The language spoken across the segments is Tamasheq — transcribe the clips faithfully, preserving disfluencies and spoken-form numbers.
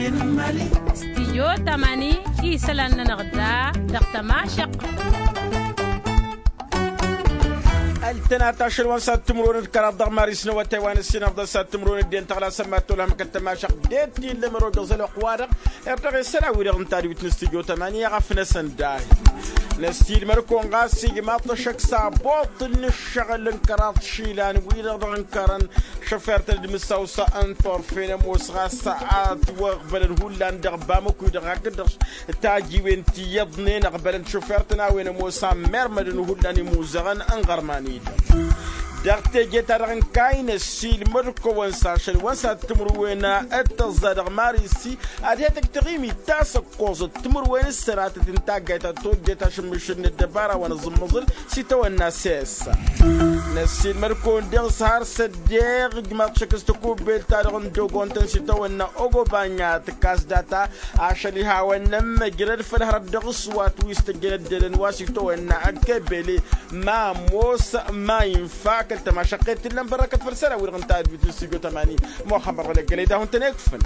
Stijyo tamani isălan-nănăɣ da dăɣ-tămašăq. Ăltănat ašăl wa n-sad timǝrwen d-kăraḍ dăɣ-maris n-awătay wa n-ǝssin afḍăn sad timǝrwen d-en tăɣlasăn mad-tolhăm kăt-tămašăq d-e-t-illa măro dăɣ-zăl ăqwa-dăɣ. Irtăɣ isălan-wi-dăɣ n-tadwit n-stijyo tamani i-ăɣăf-năsăn dahi năsiilmăd-kăwăn ɣas igmaḍ-t ăššăk s-aboṭṭǝl n-ǝššăɣǝl n-kăraḍ išilan-wi-dăɣ dăɣ-ǝnkărăn šăfert n-ad-mǝssaw s-ănṭorfen ămoos ɣas ad-t-wăɣbălăn hullan dăɣ-bamăku-i-dăɣ hakd-dăɣ tajiwen ti iyyăḍnen ăɣbălăn šăfert n-a-wen ămoos a n-mermădăn hullan imuzăɣăn n-iɣărman-i-dăɣ. Dăɣ-teje-ta-dăɣ n-kayy năssiilmăd-kăwăn s-ašăl wa n-sad timǝrwen d-tăẓẓa dăɣ-marisi ad-he-tǝktăɣ imitasăk koẓăt timǝrwen s-sănatăt n-taggayt ta tojjet ašǝmmǝšǝl n-ăddăbara wa n-aẓǝmmăẓǝl s-itawănna sesa. Năssiilmăd-kăwăn deɣ s-har s-ăddeɣ ǝjmaḍ šăkk s-tăkubbelt-ta-dăɣ n-dogontăn s-itawănna ogobanya tǝkkas data ašăl ihawăn n-ămmăjrăd făll-hărăt dăɣ-s wa t-wi s-tăjjăn ăddălăn wa s-itawănna ăkkebele ma ămoos ma infa kăl-tămašăqqet t-illa n-bărrăkăt făll-isălan-wi-dăɣ n-tadwit n-stujo tămani. Muxămmăd ɣălăggălăy d-ahun-tăn-ikfǝn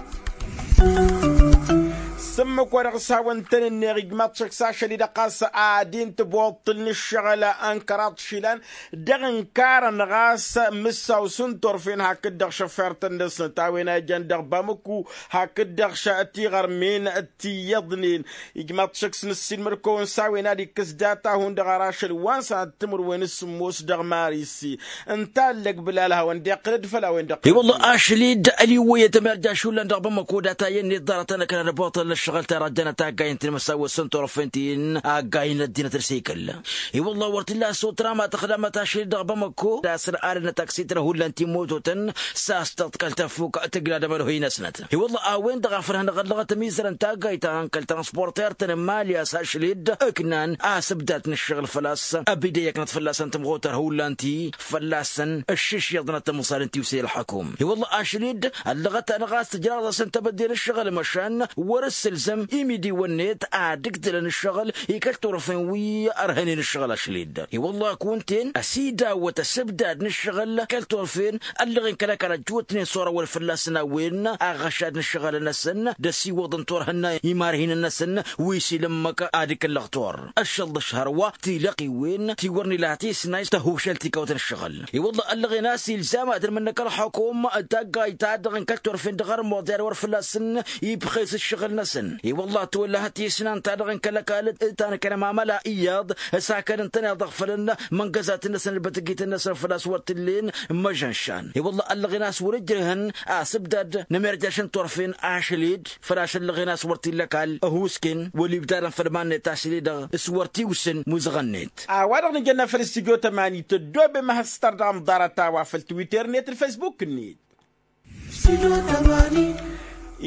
s-ǝmmǝk-wa-dăɣ s-hawăn-tăn-ǝnneɣ ijmaḍ šăkk s-ašăl-i-dăɣ ɣas ad-intǝboḍtǝl n-ǝššăɣǝl n-kăraḍ išilan dăɣ-ǝnkarăn ɣas mǝssaw s-ǝnturfen hakd-dăɣ šăfert-năsnăt a-wen a ijăn dăɣ-bamăku hakd-dăɣ tiɣărmen ti iyyăḍnen. Ijmaḍ šăkk s-năssiilmăd-kăwăn s-a-wen ad-ikkǝs data-hun-dăɣ ar ašăl wa n-sănat timǝrwen s-sǝmmos dăɣ-marisi. Ǝnta allăg bǝlal hawăn-dd-iqqǝlăd făll-a-wen-dăɣ. I-wălla ašăl-dd ăliwwăyăt ămerja šullan dăɣ-bamăko data iyyăn-net ḍarăt-anăkăn ad-ăboṭălăn ăššăɣǝl-ta-dăɣ jănăt aggayen ti n-imǝssaw s-ǝnturfen ti n-aggayen n-ăddinăt dăr-s ikăl. I-wălla wăr t-illa s-otra ma tăxdamăt ašăl-dd dăɣ-bamăko d-asăr arănăt aksitra hullan ti n-mototăn s-a-s tăḍkăl tăfuk tǝgla d-amănăhăy-năsnăt. I-wălla a-wen dăɣ-a făl hanăɣ-ăllăɣăt ămizărăn taggayt ta n-kăl-transporter-tăn n-mali a-s ašăl-dd ǝknan asǝbdat n-ǝššăɣǝl făl-a-s ăbidăy ăknăt fălla-săn tămɣutar hullan ti fălla-săn ǝššǝš iyyăḍ n-ad-tămẓalăn tiwse ălxăkum. I-wălla ašăl-dd ăllăɣăt-anăɣ a-s tǝjraḍ-asăn tebădde n-ǝššăɣǝl măšan wăr-ǝssǝlzăm imidiwăn-net ad-ǝgdǝlăn ǝššăɣǝl i-kăl-turfen wi ărhănen ǝššăɣǝl ašăl-dd. I-wălla kunta-en ăsidawăt ăsǝbdad n-ǝššăɣǝl kăl-turfen ăllăɣen kăl-ăkall ăjjootnen s-orăwăn fălla-săn a-wen aɣăšad n-ǝššăɣǝlăn-năsăn d-ăsiwăḍăn turhǝnna imarhinăn-năsăn wi s-ila ǝmmǝk ad-ǝkǝllăɣ tur ăššălḍăš hărwa tilăqqiwen ti wăr nǝla tisnay tăhušăl tikawt n-ǝššăɣǝl. I-wălla ăllăɣen a-s ilzam ad-ălmǝnnăk ălxukum d-taggayt-ta-dăɣ n-kăl-turfen dăɣ-ărmuḍ i-ad-wăr fălla-săn ibxes ǝššăɣǝl-năsăn. I-wălla ătwăllăhăt tisnan-ta-dăɣ n-kăl-ăkall ta n-kănămamăla iyyăḍ s-akăd ǝntăneḍ-dăɣ fălăn măngăzat-năsăn d-bătăgităn-năsăn făl-a-s wăr t-ǝllen măžănšan. I-wălla ăllăɣen a-s wăr-ǝjrăhăn asǝbdad n-emerjaš n-turfen ašăl-dd făl ašăl ăllăɣen a-s wăr t-illa ăkall ăhuusken wăla ibdadăn făll-iman-net ašăl-i-dăɣ s-wăr tiwsǝn muzăɣăn-net. A-wa-dăɣ nǝjănna făll-studyo tămani tăddoobem ad-has-tărdăɣăm ḍarăt-a-wa făll-twitter-net d-facebook-net.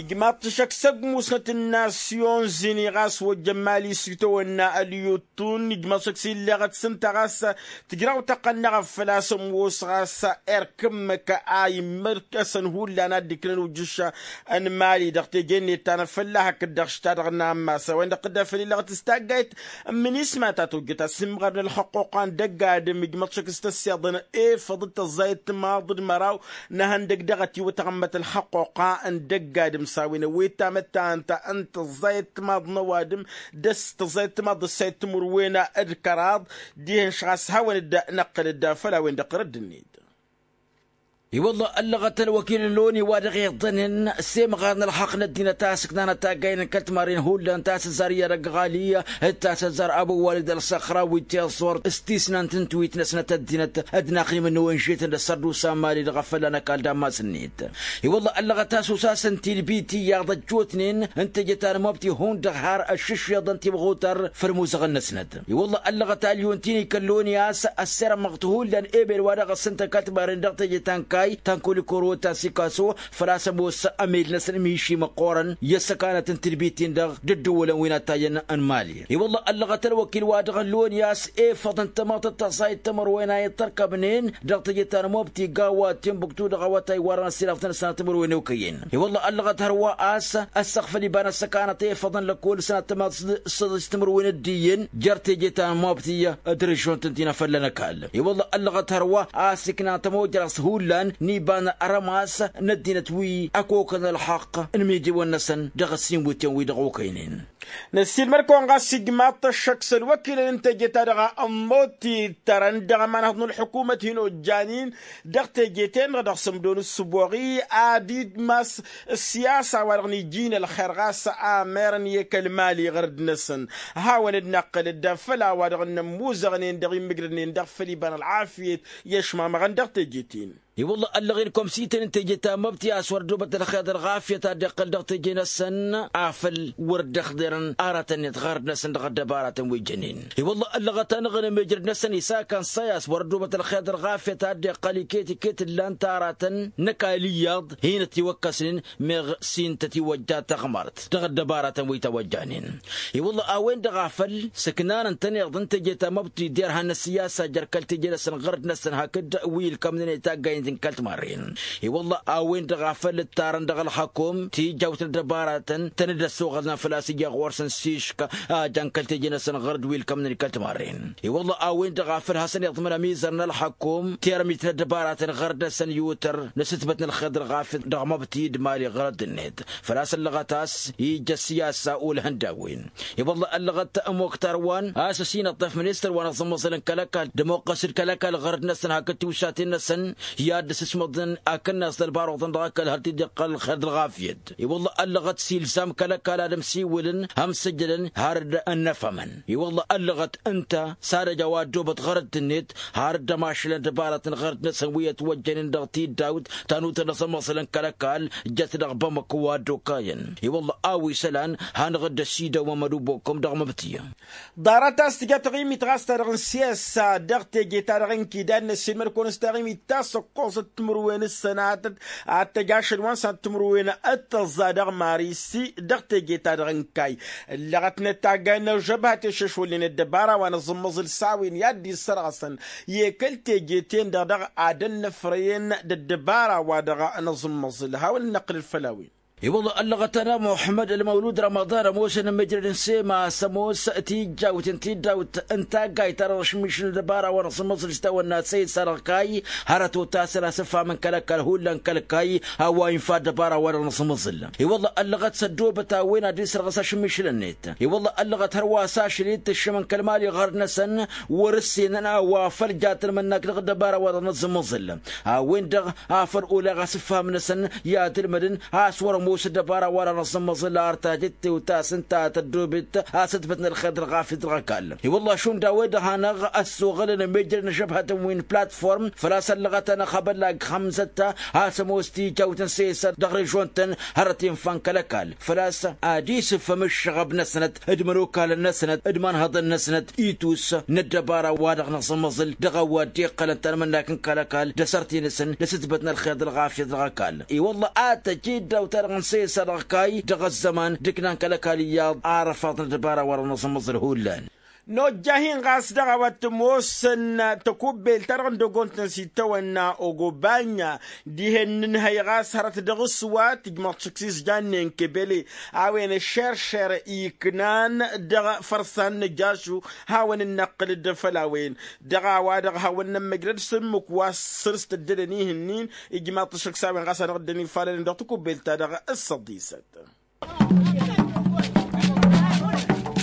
Ijmaḍ-t šăkk s-ăgg musnăt n-nasyon zini ɣas wăjjăn mali s-itawănna ălyuttun ijmaḍ-t šăkk s-illeɣăt s-ǝnta ɣas tǝjraw tăqqăn n-eɣăf făl-a-s ămoos ɣas erk ǝmmǝk a immărkăsăn hullan ad-dd-iknăn ujǝš n-mali dăɣ-teje-net ta n-afălla hakd-dăɣ šita dăɣ-nammas a-wen-dăɣ tǝdda făll-illeɣăt s-taggayt n-minisma ta tojjăt asǝmɣar n-ălxăqquqa n-dăgg-adǝm ijmăḍ šăkk s-tăssiḍăn efăḍ d-tăẓẓayăt timaḍ d-măraw n-ehăndăg dăɣ-ătiwăt aɣǝmmăt ălxăqquqa n-dăgg-adǝm s-a-wen ăwwet tamăttant n-tăẓẓayăt timaḍ n-ăwadǝm d-s tăẓẓayăt timaḍ d-ăssayăt timǝrwen d-kăraḍ dihen-š ɣas hawăn-dd-năqqǝl-dd făll-a-wen-dăɣ tărădd-net. I-wălla ăllăɣăt ălwăkil n-loni wa dăɣ-iḍănen s-emɣar n-ălxaqq n-ăddinăt a ăsǝknanăt taggayăn n-kăl-timarren hullan tasǝzzar i-ad-ăgg ɣali d-tasǝzzar ăbu walid ălsăxra wi tiẓẓurt s-tisnant n-tiwit-năsnăt ăddinăt d-inaximăn n-ăwenžetăn d-ăssărdusa n-mali dăɣ-afălla n-ăkall d-ammas-net. I-wălla ăllăɣăt a-s osasăn tilbit iyyăḍ ăjjootnen n-teje ta n-mobti hundăɣ har ăššǝššeḍăn timɣutar făll-imuzăɣăn-năsnăt. I-wălla ăllăɣăt alyon ti n-ikăllon i-a-s ăssirămmăɣ-t hullan ebel wa dăɣ-ăssǝntăn kăl-timarren dăɣ-teje ta n-kayy ta n-kolikoro ta n-sikaso făl-a-s ămoos ămel-năsăn miši măqqoorăn i-ăssăkanăt n-tilbit-in-dăɣ d-ǝddǝwwălăn wi n-attayăn n-mali. I-wălla ăllăɣăt ălwăkil wa dăɣ-ăllon i-a-s efăḍ n-tamăḍt d-tăẓẓayăt timǝrwen a ittărkăbnen dăɣ-teje ta n-mobti gawa timbuktu dăɣ-awătay wa dăɣ-năssiilăɣ-tăn sănat timǝrwen okăyyen. I-wălla ăllăɣăt hărwa a-s ăssăɣfăl iba n-ăssăkanăt efăḍăn lăkkol sănat tămaḍt s-săḍis timǝrwen d-iyyăn jer-teje ta n-mobti d-režion-tăn ti n-afălla n-ăkall. I-wălla ăllăɣăt hărwa a-s ikna tămojrăɣ s-hullan n-iba n-arămas n-ăddinăt wi ăkokăn ălxaqq n-imidewăn-năsăn dăɣ-ăssinwǝtyan wi-dăɣ okăynen. Năssiilmăd-kăwăn ɣas ijmaḍ-t ăššăk s-ălwăkilăn n-teje-ta-dăɣ ămmut-t-dd tărăn dăɣ-ămanhăḍ n-ălḥukumăt hin-ojjan-in dăɣ-teje-ten-dăɣ dăɣ-sǝmdo n-ǝssǝboɣ-i ad-idmas ăssiyasa-wa-dăɣ n-iji n-ălxer ɣas a merăn i-kăl-mali ɣărăd-năsăn. Hawăn-dd-năqqǝl-dd făll-a-wa-dăɣ n-ămmuzăɣnen dăɣ-immǝjrădnen dăɣ-făll-iba n-ălɣafyăt i-ăšmamăɣăn dăɣ-teje-ten. I-wălla ăllăɣen komsiten n-teje ta n-măbti a-s wăr ăddoobăt ălxer d-ălɣafyăt a dd-iqqăl dăɣ-teje-năsăn afăl wăr dd-ăxḍerăn aratăn-net ɣărăd-năsăn dăɣ-ăddăbaratăn wi jănen. I-wălla ăllăɣăt-anăɣ-en ămejrăd-năsăn isakăn s-a-s wăr ăddoobăt ălxer d-ălɣafyăt a dd-iqqăl iket-iket ǝllan-t aratăn n-ăkall iyyăḍ hin-ătiwăkkăsnen meɣ s-intăt iwăjja taɣmărt dăɣ-ăddăbaratăn wi tawăjjanen. I-wălla a-wen-dăɣ a făl sǝknan ǝntăneḍ n-teje ta n-măbti derhan n-ăssiyasa jer-kăl-teje-năsăn ɣărăd-năsăn hakd wi ǝlkămnen i-taggayen n-kăl-timarren. I-wălla a-wen-dăɣ a făl ǝttarăn dăɣ-ălxăkom tijawt n-ăddăbaratăn tăn-dd-ăssoɣălnăn făl-a-s ija ɣur-săn s-išk a jan kăl-teje-năsăn ɣărăd wi ǝlkămnen kăl-timarren. I-wălla a-wen-dăɣ a făl hasăn-iḍmǝn ămizăr n-ălxăkom termit n-ăddăbaratăn ɣărăd-năsăn yutăr n-asǝtbăt n-ălxer d-ălɣafyăt dăɣ-măbti d-mali ɣărăd-net. Făl-a-s ăllăɣăt a-s ija ăssiyasa ulhăn d-a-wen. I-wălla ăllăɣăt ămoktar wa n-a-s ăsinăṭṭăf ministăr wa n-aẓǝmmăẓǝl n-kăl-ăkall d-ămoqqăs d-kăl-ăkall ɣărăd-năsăn hakd tiwsaten-năsăn i-ad-dd-sǝsmăḍăn akǝnnas d-ălbaruḍăn dăɣ-ăkall har t-dd-iqqăl ălxer d-ălɣafyăt. I-wălla ăllăɣăt s-ilzam kăl-ăkall ad-ămsiwǝlăn hăm sǝjǝlăn har dd-ănnăfămăn. I-wălla ăllăɣăt ǝnta s-ad-ăj a-wa ăddoobăt ɣărăt-net har dd-ămašălăn dăbaratăn ɣărăt-năsăn wi ătwăjjănen dăɣ-tiddawt ta n-utăn n-aẓǝmmăẓǝl n-kăl-ăkall jăt dăɣ-bamăko wa dd-okayăn. I-wălla a-wa isălan hanăɣ-dd-ăsidăwăm ălubokăm dăɣ-măbtǝyăm. Ḍarăt a-s tǝja taɣimit ɣas ta dăɣ-n siyasa dăɣ-teje ta dăɣ-n kidad n-ăssiilmăd-kăwăn s-taɣimit ta s-ăkkoẓăt timǝrwen s-sănatăt ad-t-ăj ašăl wa n-sănatăt timǝrwen d-tăẓẓa dăɣ-marisi dăɣ-teje ta dăɣ-n kayy. Ǝllăɣătnet taggayen n-ăžžăbhat i-iššăšwălnen ăddăbara wa n-aẓǝmmăẓǝl s-a-wen i-ad-dd-issărɣăsăn i-kăl-teje-ten-dăɣ dăɣ-ad-ănnăfrăyăn d-ăddăbara wa dăɣ-nǝẓǝmmăẓǝl hawăn-dd-năqqǝlăl făll-a-wen. I-wălla ăllăɣăt-anăɣ muḥămmăd ălmăwlud rămăḍan ămoosăn ămijrăd n-sema s-ămoos tijjawt n-tiddawt n-taggayt ta dăɣ-ašmišǝl ăddăbara wa n-aẓǝmmăẓǝl s-tawănna săysa dăɣ-kayy hărăt otasăn asǝfham n-kăl-ăkall hullan kăl-kayy a-wa infa ăddăbara wa dăɣ-nǝẓǝmmăẓǝl. I-wălla ăllăɣăt s-ăddoobăt a-wen ad-dd-isrăɣăs ašmišǝl-net. I-wălla ăllăɣăt hărwa s-ašăl-i d-tǝššǝm n-kăl-mali ɣărăd-năsăn wăr-ǝssenăn a-wa făl ja tǝlmǝnnak dăɣ-ăddăbara wa dăɣ-nǝẓǝmmăẓǝl. A-wen-dăɣ afăl oleɣ asǝfham-năsăn i-ad-ǝlmădăn a-s wăr-ămoos ăddăbara wa dăɣ-nǝẓǝmmăẓǝl ar tajǝtte otasăn ta tăddoobet asǝtbăt n-ălxer d-ălɣafyăt dăɣ-ăkall. I-wălla šund a-wen-dăɣ hanăɣ-ăssoɣălăn ămijrăd n-ažăbhătăn wi n-platform făl-a-s ăllăɣăt-anăɣ abăllag xămzăt a-s ămoos tijawt n-sesăr dăɣ-režon-tăn hărăt infa n-kăl-ăkall făl-a-s ad-isǝfhăm ǝššăɣăb-năsnăt d-imănokalăn-năsnăt d-imanhăḍăn-năsnăt itus n-ăddăbara wa dăɣ-nǝẓǝmmăẓǝl dăɣ-a-wa dd-iqqălăn tanmǝnnak n-kăl-ăkall d-asărti-năsăn d-asǝtbăt n-ălxer d-ălɣafyăt dăɣ-ăkall. I-wălla ad-tăj iddaw-ta-dăɣ n-sesăr dăɣ-kayy dăɣ-ăzzăman d-ǝknan kăl-ăkall iyyăḍ arăfaḍ n-ăddăbara wa dăɣ-nǝẓǝmmăẓǝl hullan. Nojja-hin ɣas dăɣ-a-wa t-ămoosăn tăkubbelt-ta-dăɣ n-dăgont-năsitawănna ogobanya dihen n-inhăy ɣas hărăt dăɣ-s wa tǝjmăḍ šǝk s-izjannen kebele a-wen ăššeršer iknan dăɣ-fărsan n-ăjjašu. Hawăn-dd-năqqǝl-dd făll-a-wen dăɣ-a-wa-dăɣ hawăn-nămmăjrăd s-ǝmmǝk wa s-săr-s tăddădăn ihǝnnin ijmaḍ-t ašăk s-a-wen ɣas hanăɣ-dd-ănifalănen dăɣ-tăkubbelt-ta-dăɣ s-săḍisăt.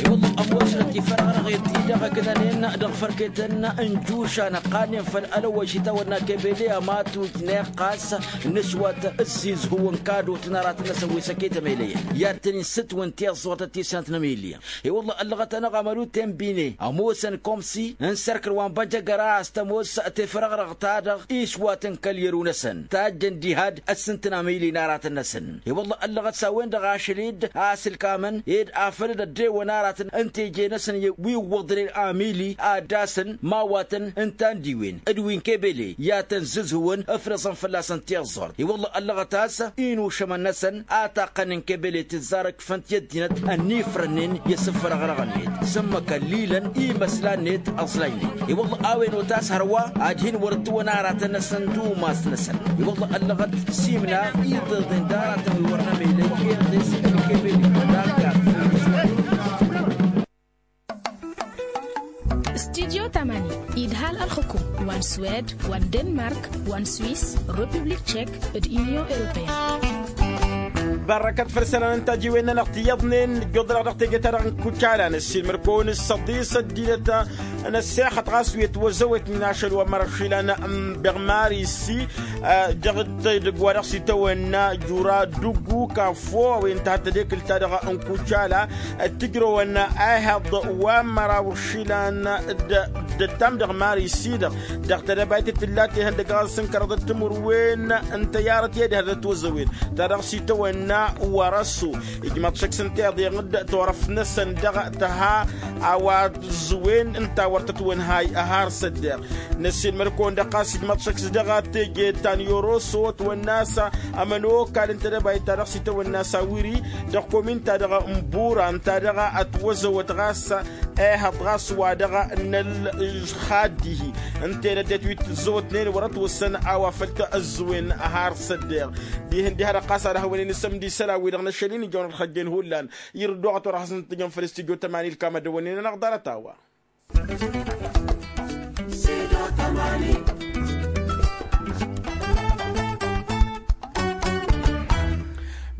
I-wălla ămoosnăt ifărăɣrăɣen-ti-dăɣ ǝknănen dăɣ-fărketăn n-jušan ăqqanen făll-ălwăš itawănna kebele ămatuj n-iqqas n-ǝswăt ǝzzizhǝw n-kadot n-aratăn-năsăn wi s-ăketămelăyăn i-ad-tăn-in-sǝtwǝn tiẓẓurt d-tisnant n-emilya. I-wălla ăllăɣăt-anăɣ amălu tembine ămoosăn komsi n-sărkăl wa n-băjăgăra a-s tămoos tefărăɣrăɣt-ta-dăɣ iswatăn kăl-yăru-năsăn tajjăn diha-dd ăssintăn amili n-aratăn-năsăn. I-wălla ăllăɣăt s-a-wen-dăɣ ašăl-dd a-s ǝlkamăn ed afăl dd-ăddewăn aratăn n-teje-năsăn wi ǝwwăḍnen amili ad-dd-asăn mawatăn ǝnta n-diwen d-wi n-kebele i-ad-tăn-zǝzhǝwăn ǝfrăẓăn fălla-săn tiẓẓurt. I-wălla ăllăɣăt a-s inušămăn-năsăn ataqqăn n-kebele tǝzzar ǝkfăn-t i-ăddinăt ănnifrănnen i-asǝfrăɣrăɣ-net s-ǝmmǝk ăllilăn i-imăslan-net ăẓlajnen. I-wălla a-wen otas hărwa ad-hin-wăr ǝttǝwăn aratăn-năsăn d-umas-năsăn. I-wălla ăllăɣăt s-imna iḍeḍen d-aratăn wi wăr nămelăy iḍes n-kebele. Studyo. Mani idhal ălxukum wa n-swed wa n-denmark wa n-swis, republik tšek, d-inyon europeyăn. Barrăkăt făll-isălan n-tajiwen-nănăɣ tiyyăḍnen. Ijjuḍ-dăɣ dăɣ-teje-ta-dăɣ n-kucala năssiilmăr-kăwăn s-săḍisăt d-inăt n-ăssexăt ɣas wi ătwăzzăwăt n-ašăl wa n-mărašilăn n-băɣmar issi. Dăɣ-t dăɣ-wa dăɣ-s itawănna jura duggu kafo a-wen tăhăt tedekǝlt-ta-dăɣ n-kucala. Ăttijrăwăn ehăḍ wa n-măraw išilan d-ăttam dăɣ-mari s-i-dăɣ dăɣ-tedăbayt d-tǝlla tehăn dăgg-aɣăs n-kăraḍăt timǝrwen n-tăyarăt i-ad-ihăr d-ătwăzzăwen ta dăɣ-s itawănna. Wăr-ăssu ijmăḍ šăkk s-ǝnta iḍeɣ-dd turăft-năsăn dăɣ-tăha a-wa ăẓẓǝwen ǝnta wăr tătwănhay ăhar s-ăddeɣ. Năssiilmăr-kăwăn-dăɣ ɣas ijmăḍ šăkk s-dăɣ teje ta n-yoroso ătwănna a-s ămănokal n-tedăbayt ta dăɣ-s itawănna a-s awiri dăɣ-komin ta dăɣ-n bura ǝnta dăɣ-ătwăzăwăt ɣas ehăḍ ɣas wa dăɣ-nălxad dihi. Ǝnta-en ăddinăt wi t-ǝzzăwătnen wăr-ătwăssăn a-wa făl t-ăzzăwen ăhar s-ăddeɣ. Dihen diha-dăɣ ɣas ad-ăhwănen isămdi isălan-wi-dăɣ n-ašăl-in ijăwăn ad-xăjjen hullan. Irǝddoɣăt wăr-ăhăsăn-t-tǝjăn făll-s tijot ămani ilkam ad-dăwănnen-anăɣ ḍarăt-a-wa.